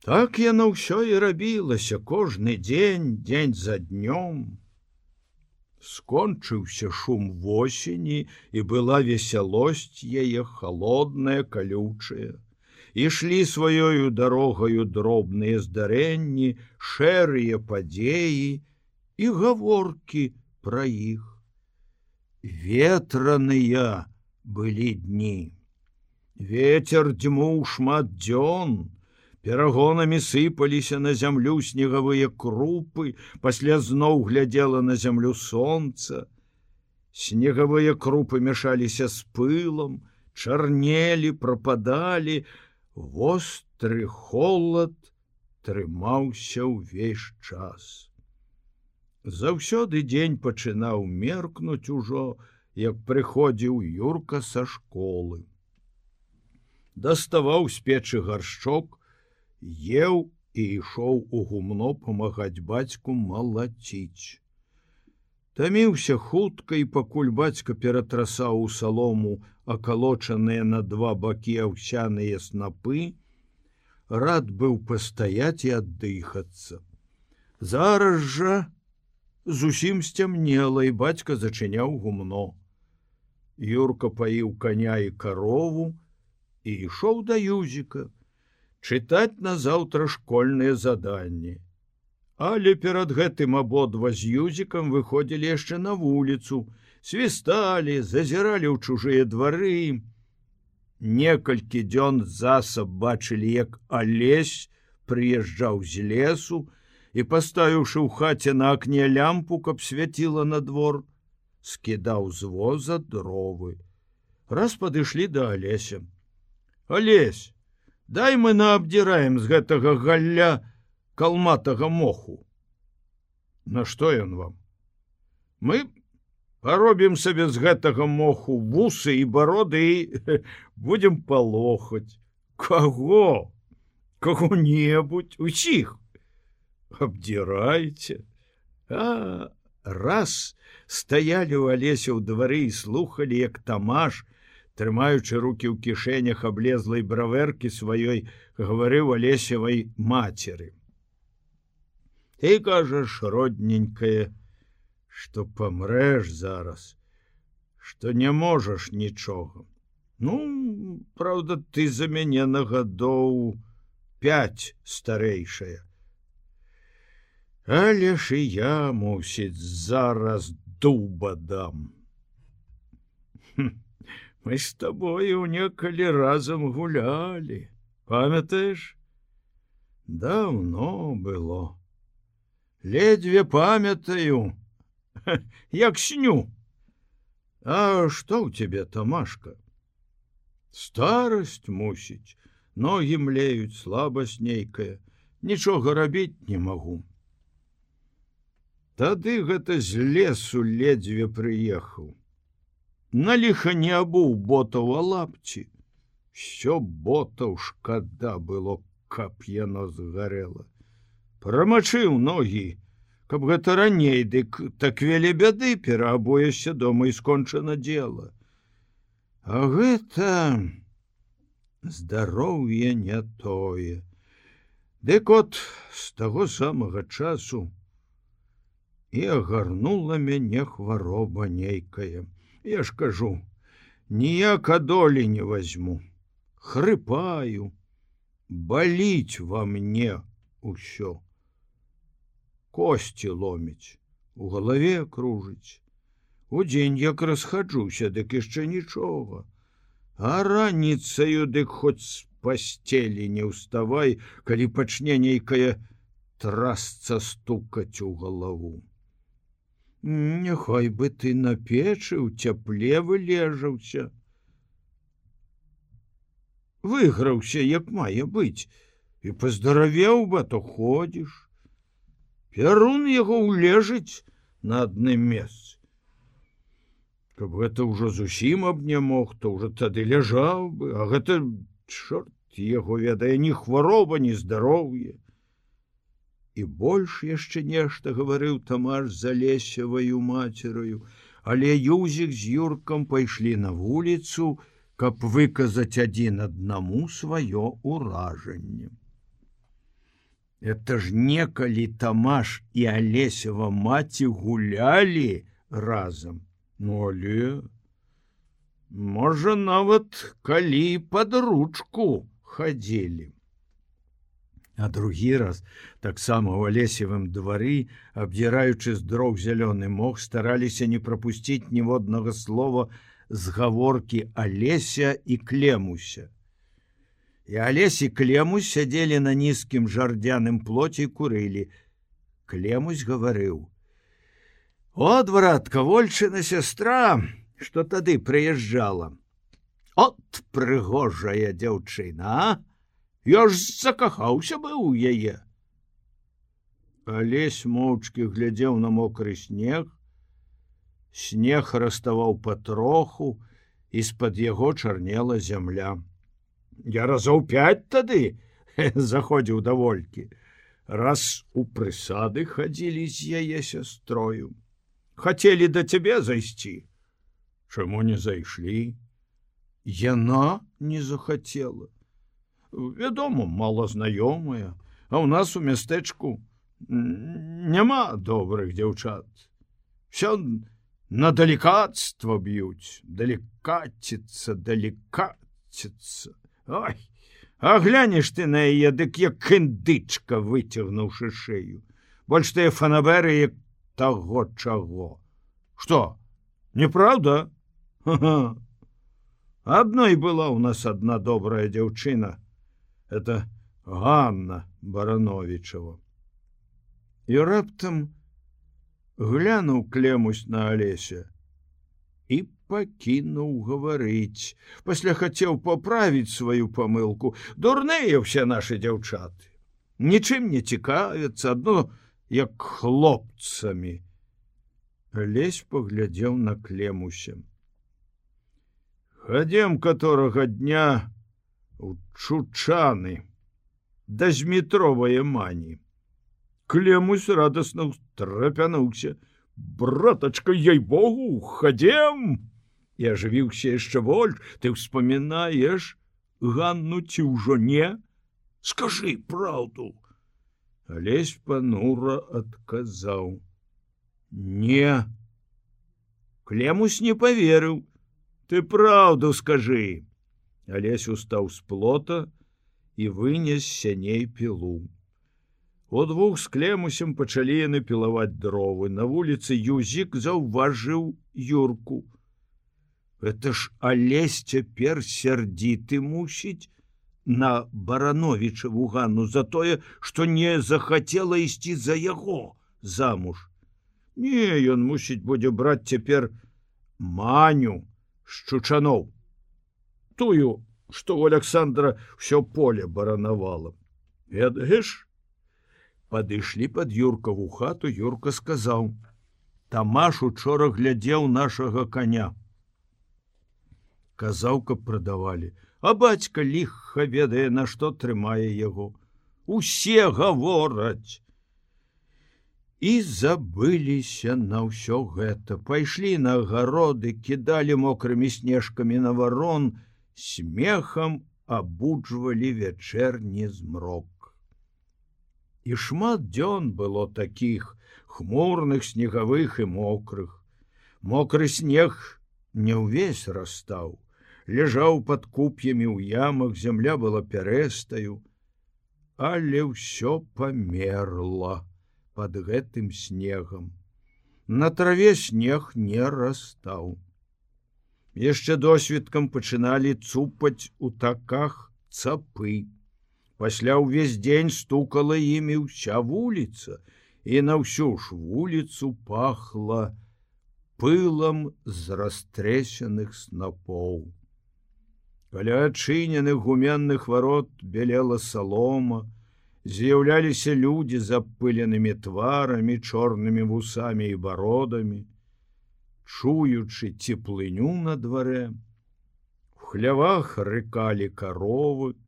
Так яно ўсё і рабілася кожны дзень за днём. Скончыўся шум восені, і была весялосць яе халодная, калючая. Ішлі сваёю дарогаю дробныя здарэнні, шэрыя падзеі і гаворкі пра іх. Ветраныя былі дні. Вецер дзьмуў шмат дзён, перагонамі сыпаліся на зямлю снегавыя крупы, пасля зноў глядзела на зямлю сонца. Снегавыя крупы мяшаліся з пылам, чарнелі, прападалі, востры холад трымаўся ўвесь час. Заўсёды дзень пачынаў меркнуць ужо, як прыходзіў Юрка са школы. Даставаў з печы гаршчок, еў і ішоў у гумно памагаць бацьку малаціць. Таміўся хутка, і пакуль бацька ператрасаў у салому акалочаныя на два бакі аўсяныя снапы, рад быў пастаяць і аддыхацца. Зараз жа зусім сцямнела, і бацька зачыняў гумно. Юрка паіў коня і карову і ішоў да Юзіка чытаць назаўтра школьныя заданні. Але перад гэтым абодва з Юзікам выходзілі яшчэ на вуліцу, свісталі, зазіралі ў чужыя двары. Некалькі дзён засаб бачылі, як Алесь прыязджаў з лесу і, паставіўшы ў хаце на акне лямпу, каб свяціла на двор, скідаў з воза дровы. Раз падышлі да Алеся. Алесь, дай мы наабдзіраем з гэтага галля калматага моху. На што ён вам? Мы паробім сабе з гэтага моху вусы і бароды і будзем палохаць. Каго? Каго-небудзь, усіх. Абдзірайце. Раз стаялі ў Алеся ў двары і слухалі, як Тамаш, трымаючы рукі ў кішэнях аблезлай бравэркі сваёй, гаварыў Алесевай мацеры. Ты кажаш, родненькая, што памрэш зараз, што не можаш нічога. Ну, праўда, ты за мяне на гадоў 5 старэйшая. Але ж і я, мусіць, зараз дуба дам. Мы з табою некалі разам гулялі, памятаеш? Даўно было. Ледзьве памятаю, як сню. А што ў цябе, Тамашка? Старасць, мусіць, ногі млеюць, слабасць нейкая, нічога рабіць не магу. Тады гэта з лесу ледзьве прыехаў. На ліха не абуў ботаў, а лапці. Всё ботаў шкада было, каб яно згарэла. Прамачыў ногі, каб гэта раней, дык так вялі бяды, пераабоешся дома і скончана дзела. А гэта здароўе не тое. Дык от з таго самага часу і агарнула мяне хвароба нейкая. Я ж кажу, ніяка долі не возьму. Хрыпаю, баліць во мне усё. Косці ломіць, у галаве кружыць. Удзень як расхаджуся, дык яшчэ нічога. А раніцаю, дык хоць з пасцелі не ўставай, калі пачне нейкая трасца стукаць у галаву. Няхай бы ты на печы ў цяпле вылежаўся. Выграўся, як мае быць, і паздаравеў бы, то ходзіш. Пярун яго ўлежыць на адным месцы. Каб гэта ўжо зусім аб не мог, то ўжо тады ляжаў бы, а гэта, чорт яго ведае, ні хвароба, ні здароўе. І больш яшчэ нешта гаварыў Тамаш з Алесеваю мацераю, але Юзік з Юркам пайшлі на вуліцу, каб выказаць адзін аднаму сваё ўражанне. Это ж некалі Тамаш і Алесева маці гулялі разам. Ну, але, можа, нават калі пад ручку хадзілі. А другі раз таксама ў Алесевым двары, абдзіраючы з дрог зялёны мох, стараліся не прапусціць ніводнага слова з гаворкі Алеся і Клемуся. І Алесь і Клемусь сядзелі на нізкім жардзяным плоце і курылі. Клемусь гаварыў: «От, братка, Вольчына сястра, што тады прыязджала. От прыгожая дзяўчына, а? Я ж закахаўся быў у яе». Алесь моўчкі глядзеў на мокры снег. Снег раставаў патроху, і з-пад яго чарнела зямля. Я разоў 5 тады заходзіў да Волькі. Раз у прысады хадзілі з яе сястрою. Хацелі да цябе зайсці. Чаму не зайшлі? Яна не захацела. Вядома, малазнаёмая, а ў нас у мястэчку няма добрых дзяўчат. Всё на далікацтва б'юць, далікаціцца. Ой, а глянеш ты на яе, дык як індычка, выцягнуўшы шыю. Больш тыя фанаберы, як таго чаго. Што, неправда? Ха-ха. Адной была ў нас адна добрая дзяўчына. Это Ганна Барановичева. І раптам глянуў Клемусь на Алеся і пакінуў гаварыць. Пасля хацеў паправіць сваю памылку. Дурныя ўсе нашы дзяўчаты. Нічым не цікавяцца, адно як хлопцамі. Алесь паглядзеў на Клемуся. Хадзем каторага дня у Чучаны да Змітровае мані. Клемусь радасна ўстрапянуўся. Братачка, ей-богу, хадзем! І ажывіўся яшчэ больш. Ты ўспамінаеш Ганну ці ўжо не? Скажы праўду. Алесь панура адказаў: не. Клемусь не паверыў. Ты праўду скажы. Алесь устаў з плота і вынес сяней пілу. Удвух з Клемусем пачалі яны пілаваць дровы. На вуліцы Юзік заўважыў Юрку. Это ж Алесь цяпер сярдзіты мусіць на Барановичеву Ганну за тое, што не захацела ісці за яго замуж. Не, ён мусіць будзе браць цяпер Маню з Чучаноў. Тую, што у Александра ўсё поле баранавала. Ведаеш? Падышлі пад Юркаву хату, Юрка сказаў: Тамаш учора глядзеў нашага коня. Казаў, каб прадавалі, а бацька ліха ведае, на што трымае яго. Усе гавораць. І забыліся на ўсё гэта. Пайшлі на агароды, кідалі мокрымі снежкамі на варон, смехам абуджвалі вячэрні змрок. І шмат дзён было такіх, хмурных, снегавых і мокрых. Мокры снег не ўвесь растаў, ляжаў пад куп'ямі ў ямах, зямля была пярэстаю, але ўсё памерла пад гэтым снегам. На траве снег не растаў. Яшчэ досвіткам пачыналі цупаць у таках цапы. Пасля ўвесь дзень стукала імі ўся вуліца, і на ўсю ж вуліцу пахла пылам з растрэсеных снапоў. Каля адчыненых гуменных варот белела салома, з'яўляліся людзі з абпыленымі тварамі, чорнымі вусамі і бародамі. Чуючы цеплыню на дварэ, у хлявах рыкалі каровы,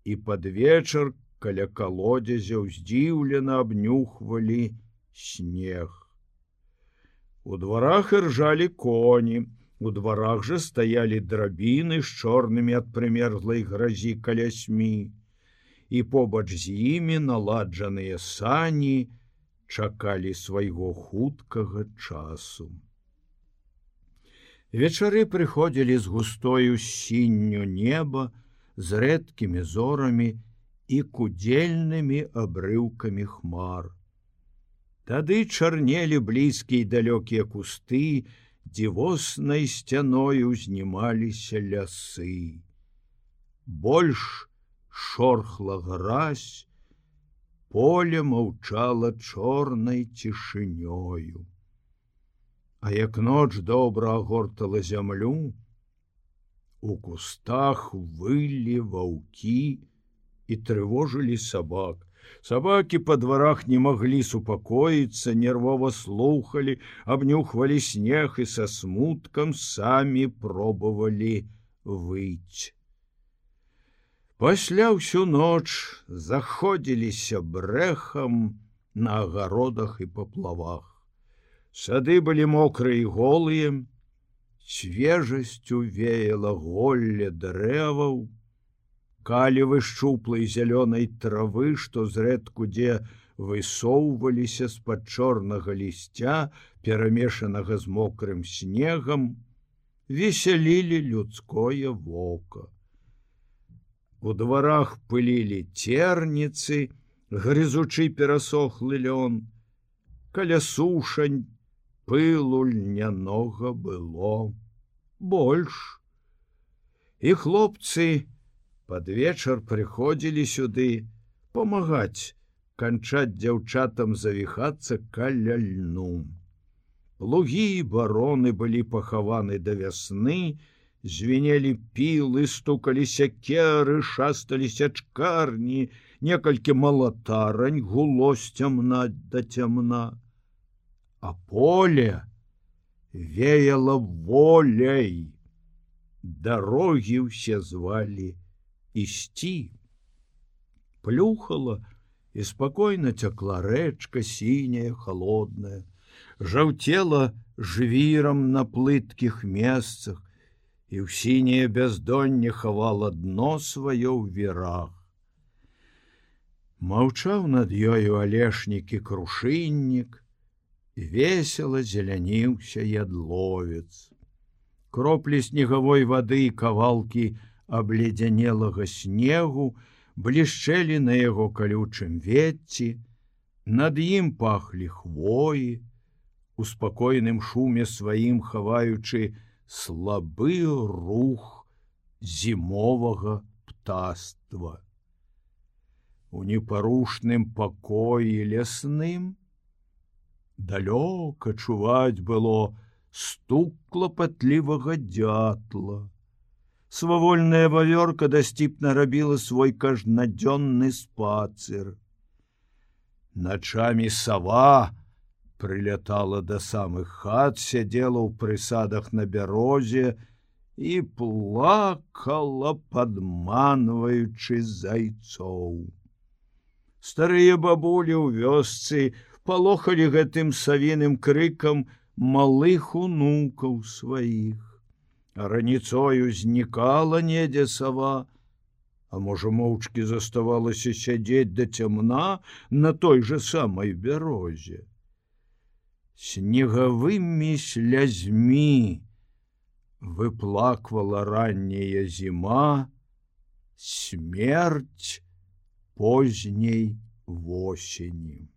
і пад вечар каля калодзязя здзіўлена абнюхвалі снег. У дварах іржалі коні, у дварах жа стаялі драбіны з чорнымі ад прымерзлай гразі калясьмі. і побач з імі наладжаныя сані чакалі свайго хуткага часу. Вечары прыходзілі з густою сінню неба, з рэдкімі зорамі і кудзельнымі абрыўкамі хмар. Тады чарнелі блізкія і далёкія кусты, дзівоснай сцяной узнімаліся лясы. Больш шорхла гразь, поле маўчала чорнай цішынёю. А як ноч добра агортала зямлю, у кустах вылі ваўкі і трывожылі сабак. Сабакі па дварах не маглі супакоіцца, нервова слухалі, абнюхвалі снег і са смуткам самі пробавалі выйць. Пасля ўсю ноч заходзіліся брэхам на агародах і паплавах. Сады былі мокрыя і голыя, свежасцю веяла голле дрэваў, калівы шчуплай зялёнай травы, што зрэдку дзе высоўваліся з-пад чорнага лісця, перамешанага з мокрым снегам, весялілі людское вока. У дварах пылілі церніцы, грызучы перасохлы лён. Каля сушань пылу льнянога было больш. І хлопцы пад вечар прыходзілі сюды памагаць канчаць дзяўчатам завіхацца каля льну. Плугі і бароны былі пахаваны да вясны, звенелі пілы, стукалі сякеры, шасталі сячкарні, некалькі малатарань гуло з цямна да цямна. А поле веяла воляй. Дарогі ўсе звалі ісці. Плюхала і спакойна цякла рэчка сіняя, холодная, жаўцела жвірам на плыткіх месцах, і ў сіняе бяздонне хавала дно сваё ў вірах. Маўчаў над ёю алешнік і крушыннік, весела зеляніўся ядловец. Кроплі снегавой вады і кавалкі абледзянелага снегу блішчэлі на яго калючым ветці, над ім пахлі хвоі, у спакойным шуме сваім хаваючы слабы рух зімовага птаства. У непарушным пакоі лясным далёка чуваць было стук клапатлівага дятла. Свавольная вавёрка дасціпна рабіла свой кажнадзённы спацыр. Начамі сава прылятала да самых хат, сядзела ў прысадах на бярозе і плакала, падманваючы зайцоў. Старыя бабулі ў вёсцы палохалі гэтым савіным крыкам малых унукаў сваіх. А раніцою знікала недзе сава, а можа моўчкі заставалася сядзець да цямна на той жа самай бярозе. Снегавымі слязьмі выплаквала ранняя зіма смерць позняй восені.